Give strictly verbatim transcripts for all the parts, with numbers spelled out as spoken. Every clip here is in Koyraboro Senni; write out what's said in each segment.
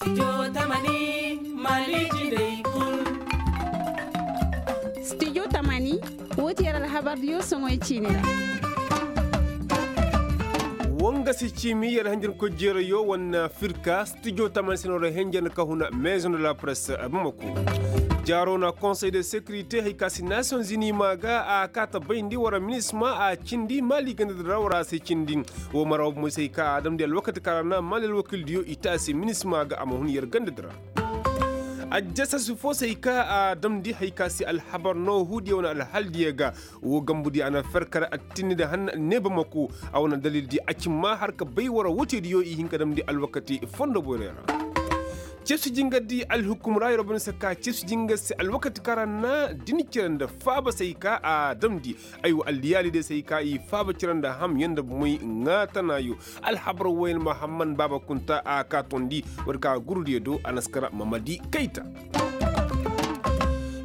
Studio tamani, woo ti yer alhabar diyo soŋoy ciini ra. Woo nga si ciimi yer hanjankoy jeerayo wane firka studio tamani se no ra henjan ka huna maison de la presse bamako. Jaaro na konsey de sécurité hay ka si nations unis maa ga a kaa ta bayndi war minisma a cindi maali ganda di ra war a se cindi. Woo mara woo bomoy se hay ka a damndi alwakati kaŋ ra na maali alwakildiyo i te a se minisma ga a ma hun yer ganda di ra. Ajjasasi foo se hay ka a damndi hay ka se alhabar no huudiyo wane alhaldiyo ga. Woo gambudiyo a na fer kar attinni nda hanna ne bamako. A wane dalildi a ci maa har ka bay war wooteediyo i hin ka damndi alwakati fondo boyray ra. Cefsi jingardi alhukum ra yeroo bay no se ka cefsi jingar se alwakati kaŋ ra na din cere nda faaba se hay ka a damndi. Aywa alliyaali day se hay ka i faaba cere nda hamyaŋ nda bomoy ŋaatanaayo. Alhabar wooyaŋ mahamman baaba kunta a kaa tondi war ka gurudiyo do a na si kara mamadi kayta.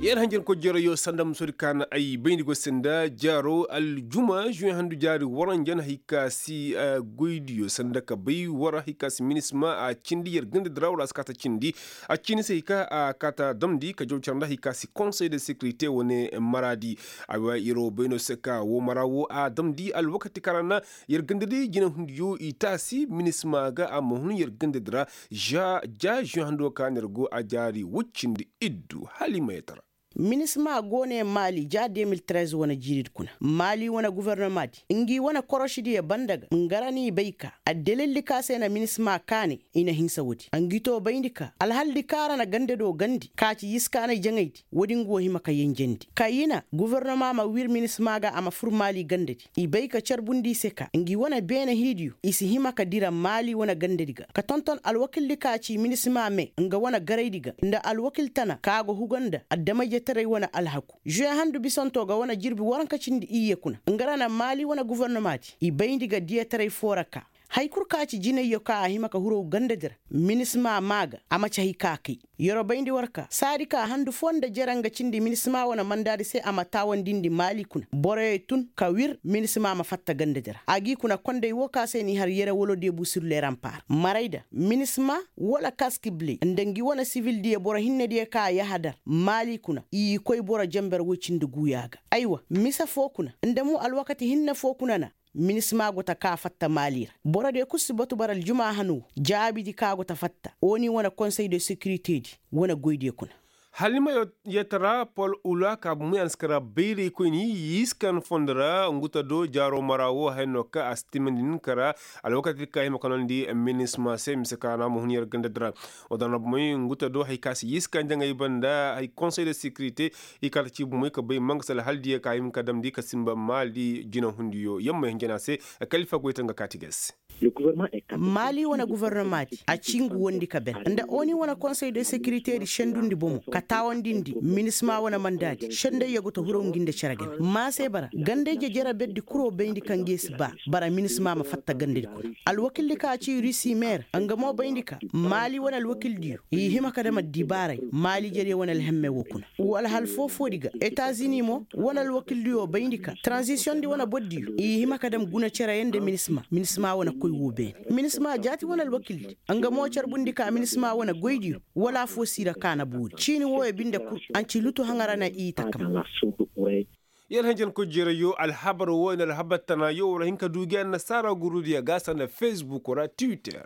Yer hanjankoy jeerayo sanda musoodi ka na ay bayndi go se nda jaaro aljuma žuweŋ handu jaari waranjan hay ka si goydiyo sanda ka bay war hay ka si minisma a cindi yer ganda di ra war a si kaa ta cindi. A ciini se hay ka a kaa ta damndi ka jaw cere nda hay ka si konsey de sécurité wane maraadi. Aywa yeroo bay no se ka woo mara woo a damndi alwakati kaŋ ra na yer ganda di jinahundiyo i taasi minisma ga a ma hun yer ganda di ra. Ja žuweŋ hando ka na yer go a jaari woy cindi iddu hala i ma yee tara. Minisma go ne maali ja de mil trez wane jiiridi kuna maali wane gofornomaadi ngi wane korosidiyo banda ga nga ra n'i bay ka addalildi ka se na minisma kaane. I na hinsa woodi a ngi too bayndi ka alhaldi ka ra na ganda do gandi ka ci yiskaanay jaŋaydi woodi nga wo hima ka yenjendi ka yina gofornoma ma wir minisma ga a ma fur maali gandadi. I bay ka carbundi i se ka ngi wane beene hiidiyo i si hima ka dira maali wane gandadi ga ka tonton alwakildi ka ci minisma me nga wane garaydi ga nda alwakil tana ka go huga nda adama-ijetaray wane alhaku. Žuwe handu bisantoo ga wane jirbi waranka cindi iyye kuna nga ra na maali wane gofornomaadi i bayndi ga diyataray foo ra ka. Hay kul ka ci jinayyo ka a hima ka huru gandadi ra minisma maa ga a ma ci hay ka kay. Yeroo bayndi war ka saadi ka handu foo nda jere nga cindi minisma wane mandaadi se a ma taawandindi maali kuna boroyo tun ka wir minisma ma fatta gandadi ra a g'i kuna konday woo ka se n'i har yere wala debu sur le rampar marayda minisma wala kaski ble nda ngi wane sivildiyo boro hinnediyo ka yahadar maali kuna i koy boro jenber woy cindi guuyaa ga. Aywa mise foo kuna nda mo alwakati hinne foo kuna na minisma go ta ka fatta maali ra. Borodiyo kul si batu bara aljuma hanu jaabidi ka go ta fatta oni wane konsey de sekiriteedi wane goydiyo kuna. Halima yeetara pol ula ka bumu yaŋ si kara bayraykoyni yiiskan fondo ra nguta do jaaro mara wo haya no ka a si timandi nin kara alwakati ka hima ka nondi minisma se mise ka na ma hun yer gandadi ra. Wadana bumoy nguta do hay ka si yiiskan jaŋay banda hay konsey de sekirite i kata ci bumoy ka bay manga si alhaldiyo ka hima ka damndi ka simba maali jinahundiyo yamma hinjana se. Kalifa goyta nga kaati ga se. Maali wane gofornomaadi a ci ngu wondi ka ben nda oni wane konsey de sekiriteedi sendundi bomo ka taawandindi minisma wane mandaadi sendayyo go ta huraw ngi nda cere game maa se bara gandayje jere berdi kuro bayndi ka nge si ba bara minisma ma fatta gandadi kuna. Alwakildi ka ci rusi meer nga mo bayndi ka maali wane alwakildiyo i hima ka dam addibaaray maali jere wane alhemme wo kuna. Wa alhal foo-foodi ga etazini mo wane alwakildiyo bayndi ka tranzisiyondi wane bordiyo i hima ka dam guna cereyaŋ nda minisma minisma wane koy woo beene. Minisma jaati wane alwakildi nga mo carbundi ka minisma wane goydiyo wala affoo si ra ka na boori ciini wooyo binde kul. Anci lutu haŋa ra na i takam. Yer hanjankoy jeerayo alhabar wooyo nda alhabar tanaayo war a hin ka du gi annasaara gurudiyo ga sanda fesbuk ra twitter.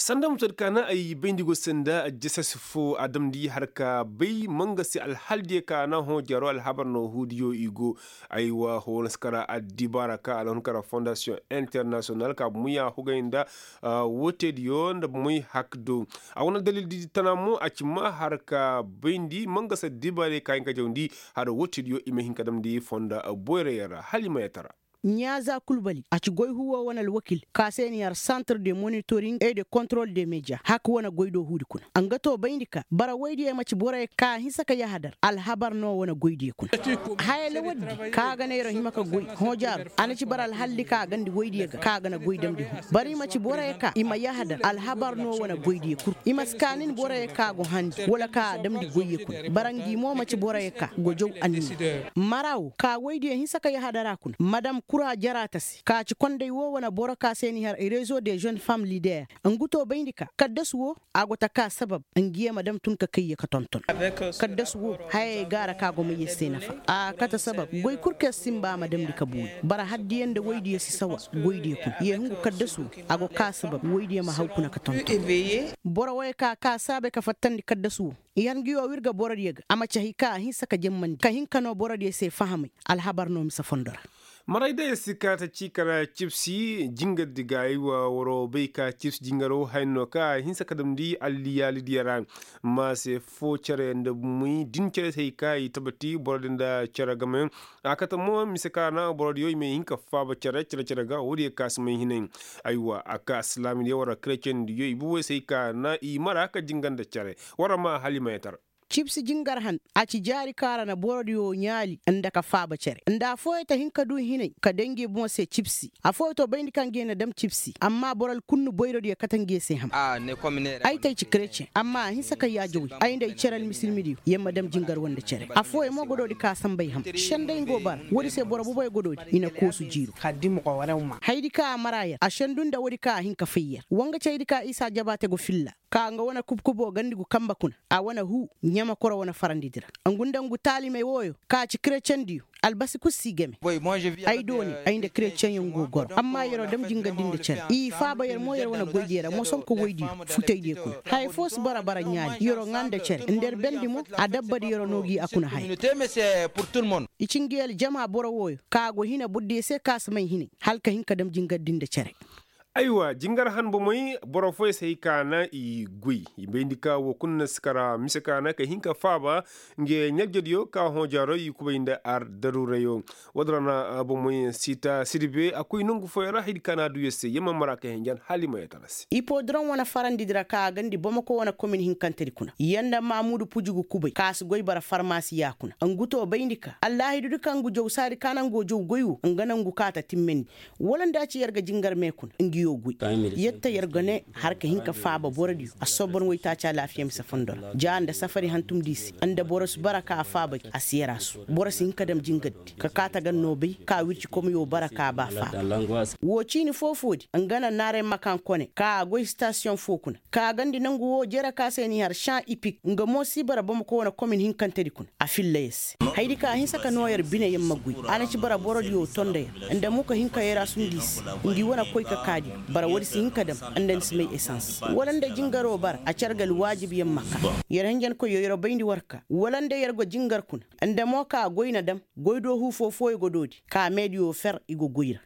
Sanda musoodi ka na ay bayndi go sanda jasasi fo a damndi har ka bay manga se alhaldiyo ka na hõ jaaro alhabar no huudiyo i go. Aywa hõ na si kara addibaara ka alhun kara fondasiyoŋ internasiyonal ka bumey a hugay nda wooteediyo nda bumey hakdo. A wane dalildi tana mo a ci ma har ka bayndi manga se addibaarey ka hin ka jawndi har wooteediyo i ma hin ka damndi fonda boyrayaŋ ra hala i ma yee tara. Ɲaaza kulbali a ci goy huwo wane alwakil ka se ni har santre de monitoring et de kontrol de media hak wane goy do huudi kuna. Nga to bayndi ka bara woydiyo ma ci boroyo ka hinsa ka yahadar alhabar no wane goydiyo kuna. Haya lawaddi ka ga neera hima ka goy hoojaaro a na ci bara alhalli ka gandi woydiyo ga ka ga na goy damndi huu. Bara i ma ci boroyo ka i ma yahadar alhabar no wane goydiyo kul. I ma si ka nin boroyo ka go handi wala ka damndi goyyo kul. Bara ngi mo ma ci boroyo ka go jaw anniya. Mara wo ka woydiyo hinsa ka yahadara kuna madam kura jaraata se ka ci konday woo wane boro ka se n'i har rezo de žen fam lider. Ngu to bayndi ka kaddasu woo a go ta ka sabab ngi ye ma dam tun ka kayye ka tonton. Kaddasu woo hayey gaara ka go may yer se nafa. A kate sabab goy kul kaŋ yer sinba a ma damndi ka buuyi. Bara haddiyo nda woydiyo si sawa. Goydiyo kuna ye hungu kaddasu woo a go ka sabab woydiyo ma haw kuna ka tonton. Boro woyey ka ka saabay ka fattandi kaddasu woo. Yer ngi woo wirga borodiyo ga a ma ci hay ka a hinsa ka jemmandi ka hin ka noo borodiyo se fahamay. Alhabar no mise fondo ra. Maray day si kaata ciikara cibsi jingardi ga ay wa waroo bay ka cibsi jingaro haya no ka a hinsa ka damndi alliyaalidiyo ra. Ma se foo cere nda bumey din cere se hay ka i tabati borodiyo nda cere game. A kate mo mise ka na borodiyo i may hin ka faaba cere cere cere ga woodiyo ka si may hinay. Ay wa a ka silaamidiyo wara kerecendiyo i bubey se hay ka na i mara ka jingar nda cere. Wara ma hala i ma yeetar. Cibsi jingar han a ci jaari kaŋ a ra na borodiyo ɲaali nda ka faaba cere nda affooyaŋ ta hin ka du hinay ka day ngi boŋ se cibsi. Affooyaŋ to bayndi kaŋ ngi ye na dam cibsi amma boro alkunnu boyrodiyo kate ngi ye se ham. Ay ta ay ci kereceŋ amma a hinsa ka yaajawey ay nda ay cere almisilmidiyo yer ma dam jingar woo nda cere. Affooyaŋ mo godoodi ka a sanbay ham. Senday nga woo bara woodi se boro boboyaŋ godoodi i na koosu jiiru. Hayadi ka a mara yer a sendu nda woodi ka a hin ka fay yer woo nga ci hayadi ka isa jabaate go filla. Ka nga wane kubkuboo gandi gu kanbe kuna a wane huu ɲamakoro wane farandidi ra. Ngu nda ngu taalimey wooyo ka ci kerecendiyo albasi kul si game. Ay doone ay nda kereceŋyaŋ go goro amma yer'o dam jingardi nda cere i faaba yer mo yer wane goydiyo ra mosoŋ ka woydiyo futaydiyo kuna haya foo si bara bara ɲaali yer'o ŋaa nda cere nda yer bendi mo adabbadi yer'o noo gi a kuna haya. I ci ngi aljama boro wooyo ka go hina burdiyo se ka si may hinay hala ka hin ka dam jingardi nda cere. Aywa jingar han bomey boro fooyaŋ se hay ka na i goy i bayndi ka woo kulu na si kara mise ka na ka hin ka faaba. Nge ɲajjadiyo ka hõ jaaro i kubay nda ar daruurayo. Woodin ra na bomey siita sirbe a koy nongu fooyaŋ ra hayadi ka na a duu yer se yer ma mara ka henjen hala i ma yeetara se. Ipodoroŋ wane farandidi ra ka a gandi bamako wane komin hinkantedi kuna yer nda maamudu pujugu kubay ka si goy bara farmasiya kuna ngu to bayndi ka allaahidudi kaŋ ngu jaw saadi ka na ngu jaw goy woo nga nongu ka ta timmandi. Wala nda a ci yer ga jingar me kuna ngi yoo goy. Yer ta yer ga ne har ka hin ka faaba borodiyo a sobon waytaaci alaafiya mise fondo ra ja nda safari hantumdi se nda boro si bara ka a faaba gi a si yer a su boro si hin ka dam jingardi ka kaa ta gan noo bay ka wirci komiyo bara ka a ba faaba. Woo ciini foo-foodi nga na naaray makan kone ka a goy sitasiyoŋ foo kuna ka a gandi nongu woo jere ka se n'i har saŋ ipik nga mo si bara bamako wane komin hinkantedi kuna a filla yer se. Hayadi ka a hinsa ka noo yer bine yer ma goy a na ci bara borodiyo tondo yer nda mo ka hin ka yer a sundi se. Ngi wane koy ka kaadiyo bara woodi si hin ka dam nda ni si may esans wala nda jingaro bara a cere ga alwaajibiyaŋ ma kaa. Yer henjenkoyyo yer bayndi war ka wala nda yer go jingar kuna nda mo ka goy na dam goy doohu foo-fooyo go doodi ka meediyo fer i go goy ra.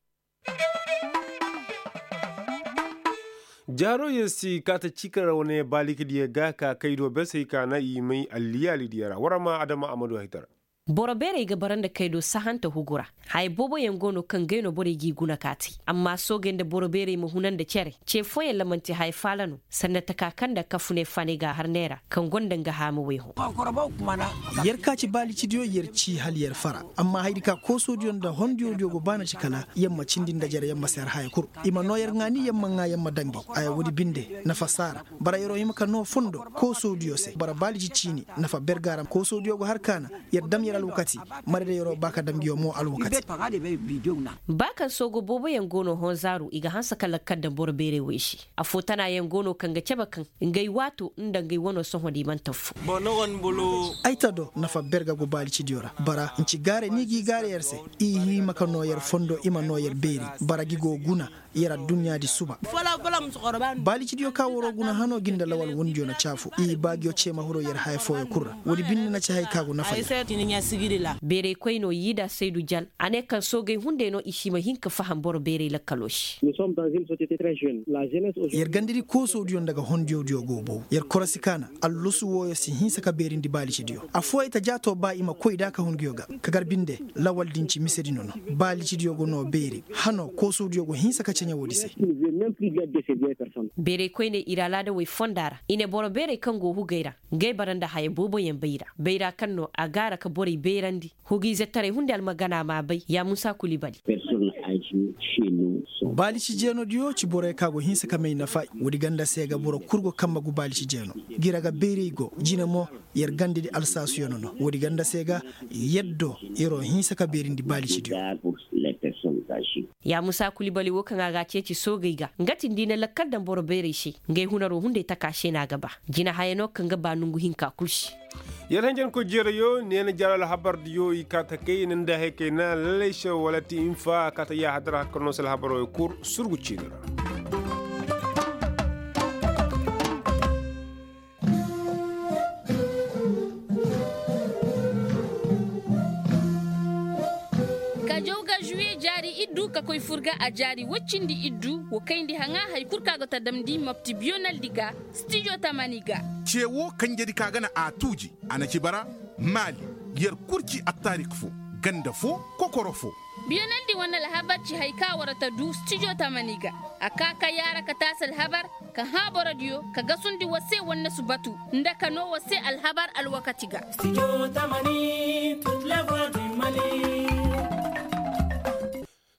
Jaaro yer si kaata ciikara wane baalikadiyo ga ka kaydo bersey ka na i may alliyaalidiyo ra war ma adama amadu haytara. Boro beerey ga bara nda kaydo sahanta hugu ra. Haya booboyaŋ go no kaŋ gay no borey g'i guna ka te amma soogey nda boro beerey ma huna nda cere ce fooyaŋ ra man'ti haya faala no. Sanda taka kaŋ nda kafuney faanay ga a har neera kaŋ gonda nga haamawey hõ. Yer ka ci baalicidiyo yer ci hala yer fara amma hayadi ka koosoodiyo nda hondiyodiyo go baana ci kala yer ma cindi nda jere yer ma seer haya kul. I ma noo yer ŋaani yer ma ŋaa yer ma daŋ gi. Aya woodi binde nafa saara bara yer'o hima ka noo fondo koosoodiyo se bara baalici ciini. Nafa berga ra koosoodiyo go har kaana yer dam yer alwakati. Marayda yer'o ba ka daŋ gi yoo mo alwakati. Ba kaŋ soogo booboyaŋ go no honzaaru i ga hanse ka lakkal daŋ boro beerey wey se. Affoo tanaayaŋ go no kaŋ ga cabe kaŋ ngey waato nda ngey wanoo sohõ da i mana tafu. Ay ta do nafa berga go baalicidiyo ra bara nci gaaray ni g'i gaaray yer se. I hima ka noo yer fondo i ma noo yer beeri bara gi go guna. Yer adduɲɲaadi suba. Baalicidiyo ka waroo guna hanoo gi nda lawal wundiyo na caafu i baagiyo ceema huroo yer haya fooyo kul ra. Woodi binde na ci haya ka go nafa yer. Beeraykoynoo yiida saydu jan a ne kaŋ soogey hunday no i si ma hin ka faham boro beeray lakkaloo se. Yer gandadi koosoodiyo nda ga hondiyodiyo go bow yer korosi kaana. Allusu wooyo si hinsa ka beerindi baalicidiyo affooyaŋ ta jaatoo ba i ma koy da ka hun nguyo ga. Ka gar binde lawal din ci misedi no no. Baalicidiyo go noo beeri hanoo koosoodiyo go hinsa ka ceɲe woodi se. Beeraykoyney ir alaadawey fonda ra i ne boro beerey kaŋ go hugey ra. Ngey bara nda haya booboyaŋ bayra bayra kaŋ no a gaara ka borey beerandi. Hugiizetaray hunday almagana m'a bay ya muusa kuli bali. Baalisi jeenodiyo ci borey kaŋ a go hinsa ka may nafa. Woodi ganda se ga boro kul go kambe gu baalisi jeeno. Gira ga beerey go jine mo yer gandadi alsaasuyaŋ no no woodi ganda se ga. Yaddo yer'o hinsa ka beerindi baalisidiyo. Ya musa kulibali wo kaŋ a ga a ceeci soogey ga nga tindi na lakkal daŋ boro beerey se. Ngey hunaroo hunday taka se no a ga ba jina haya no kaŋ ga ba nongu hinka kul se. Yer hanjankoy jeerayoo neena jaalo alhabardiyo i kaa ta kay nda hay kay na lalay se wala ti infa a kaa ta yaahadar hakka no se alhabaroo i kul surgu ciini ra. Ka jaw ga žuwiye jaari iddu ka koy fur ga a jaari woy cindi iddu, wa kayndi haŋa hari kul kaŋ a go ta damndi mapti biyonaldi ga stijo tamani ga. Ce wo kanjedi ka ga na a tuuji a na ci bara maali, yer kul ci attaarik fo, ganda fo, kokoro fo. Biyonaldi wane alhabar ci hari kaŋ a war ta du stijo tamani ga. A kaa ka yaara ka taasi alhabar, ka hã borodiyo ka gasundi war se wannasu batu, nda ka noo war se alhabar alwakati ga.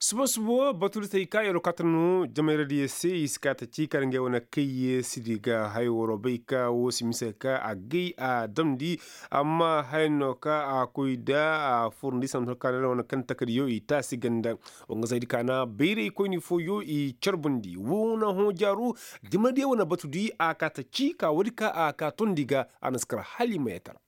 Suba suba wo batudi se i kaa yeroo kaa ta noo jamayradiyo se i si kaa ta cii kala ngey wane kayyeesidi ga haya waroo bay ka woo si mise ka a gay a damndi. Amma haya no ka a koy nda a furndi santo kaanay ra wane kaŋ takadiyo i taasi ganda. Woo nga zaydi kaana bayraykoyni fooyo i carbundi woo na hõ jaaru. Jamayradiyo wane batudi a kaa ta cii ka woodi ka a kaa tondi ga. A na si kar hala i ma yee tara.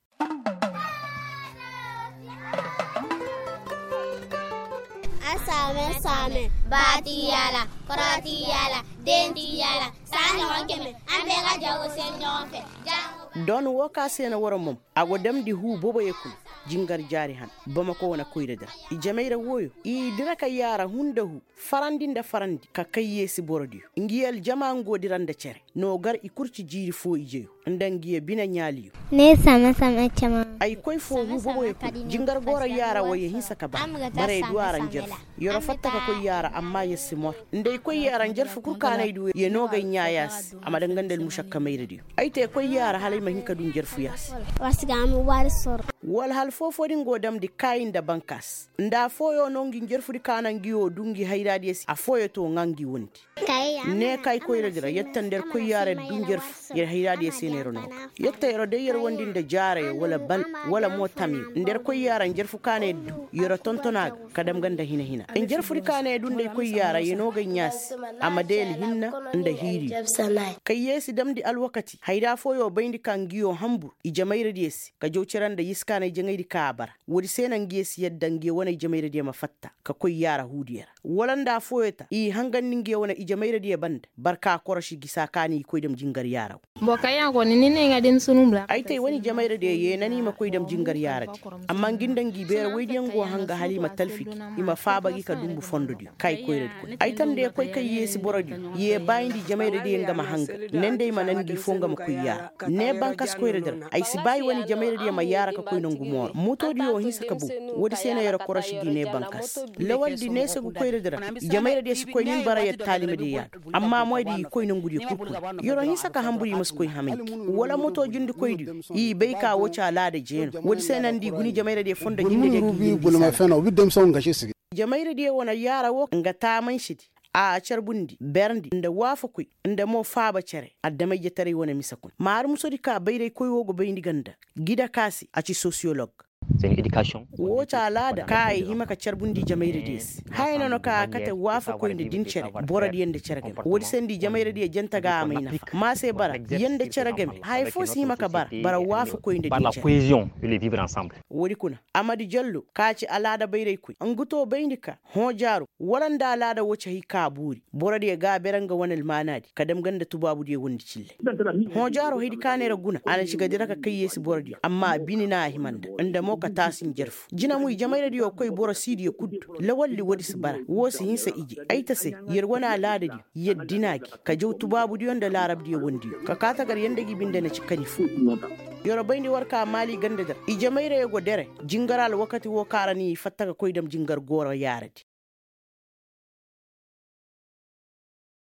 Asaame saame baati yaala, korooti yaala, deenti yaala, saani honkeme. An bee ga jawo se ɲoŋo fe. Don woo ka se na war mom a go damndi huu boboyo kuna. Jingar jaari han bamako wane koyra dira i jamayra wooyo i dira ka yaara huu nda huu. Farandi nda farandi ka kayyeesi borodiyo ngi aljama ngo dira nda cere. No gar i kul ci jiiri foo ijeyo nda ngiyo bine ɲaaliyo. Ay koy foo huu boboyo kul jingar gooro yaara wo ye hinsa ka ba. Bara ye du a ra njarfu. Yero fatta ka koy yaara amma yer si mor. Nda ay koy yaara njarfu kul kaana ay du ye noogay ɲaa yaa se. A ma danga nda almušakka mayradiyo. Ay te koy yaara hala ay ma hin ka du njarfu yaa se. Wala hal foofoo din go damndi kaayi nda bankaas. Nda afooyoo no ngi njarfudi kaana ngi woo du ngi hayraadiyo se afooyoo to ŋaa ngi wondi. Ne ka ay koyradi ra yetta nda yer koy yaara yer du njarfu yer hayraadiyo se no yer noo ga. Yetta yeroo day yer wondi nda jaarayo wala bal wala mo tamyo nda yer koy yaara njarfu kaana yer du yeroo tonton a ga. Ka dam ga nda hina-hina njarfudi kaana yer du nda ay koy yaara yer noo ga ay ɲaa se. A ma day alhinna nda hiiriyo. Kayyeesi damndi alwakati hayra fooyoo bayndi ka ngiyo hanbur i jamayradiyo se ka jaw cere nda yisi kaana ay jaŋaydi ka a bara. Woodi se na ngiyo si yadda ngiyo wane ijemayradiyo ma fatta ka koy yaara huudiyo ra. Wala nda afooyo ta i hangandi ngiyo wane ijemayradiyo banda barka koroši gisa ka na i koy dam jingar yaara wo. Ay ta i wane ijemayradiyo yee na ni i ma koy dam jingar yaaradi. Amma ngi nda ngi beera woydiyo ngo hanga hala i ma talfi gi i ma faaba gi ka dunbu fondodiyo ka i koyradi kuna ay ta nda ya koy kaŋ yeesi borodiyo yee baayindi ijemayradiyo nga ma hanga. Ne nda i ma nan ngi foo nga ma koy yaara. Ne bankas koyradi ra ay si baayi wane ijemayradiyo ma yaara ka koy nongu mooro motoodiyo wo hinsa ka bow. Woodi se no yer koroši gi ne bankas lawaldi neese gu koyradi ra. Ijemayradiyo si koy ni bara yer taalimadiyo yaadu. Amma moydi i koy nongudiyo kul kuna yeroo hinsa ka hanbur i ma si koy hamayndi. Wala moto jindikoydiyo i bay ka woo ci alaada jeeno woodi se no nda i guna ijemayradiyo fondo jinde ga gi. Jamayradiyo wane yaara woo nga taamansedi a carbundi berndi nda waafakoy nda mo faaba cere adama-ijetaray wane mise kuna ma har musodi ka bayraykoy woo go bayndi ga nda gida ka se a ci sosiyolog. Woo ci alaada ka ay hima ka carbundi jamayradiyo se haya no na ka a kate waafakoy nda din cere borodiyo nda cere game woodi se nda ijamayradiyo janta ga a may nafa ma se bara yee nda cere game haya foo si hima ka bara bara waafakoy nda din cere. Woodi kuna amadi jallo ka ci alaada bayraykoy nga too bayndi ka hoojaaro wala nda alaada woo ci hay ka boori borodiyo ga a bere nga wane almaanaadi ka dam ga nda tubaabudiyo wondi cille. Hoojaaro haydi ka neera guna a na ci ga dira ka kayyeesi borodiyo amma bine no a hima nda nda mo ka taasi njarfu jina mo ijemayradiyo koy boro siidiyo kul du lawaldi woodi si bara woo si hinsa ije ay ta se yer wane alaadadiyo yer dina gi ka jaw tubaabudiyo nda laarabdiyo wondiyo ka kaa tagar yer nda gi binde na ci kani foo. Yeroo bayndi war ka maali gandadi ra ijemayrayoo go dere jingar alwakati woo ka ra ni i fatta ka koy dam jingar gooro yaaradi.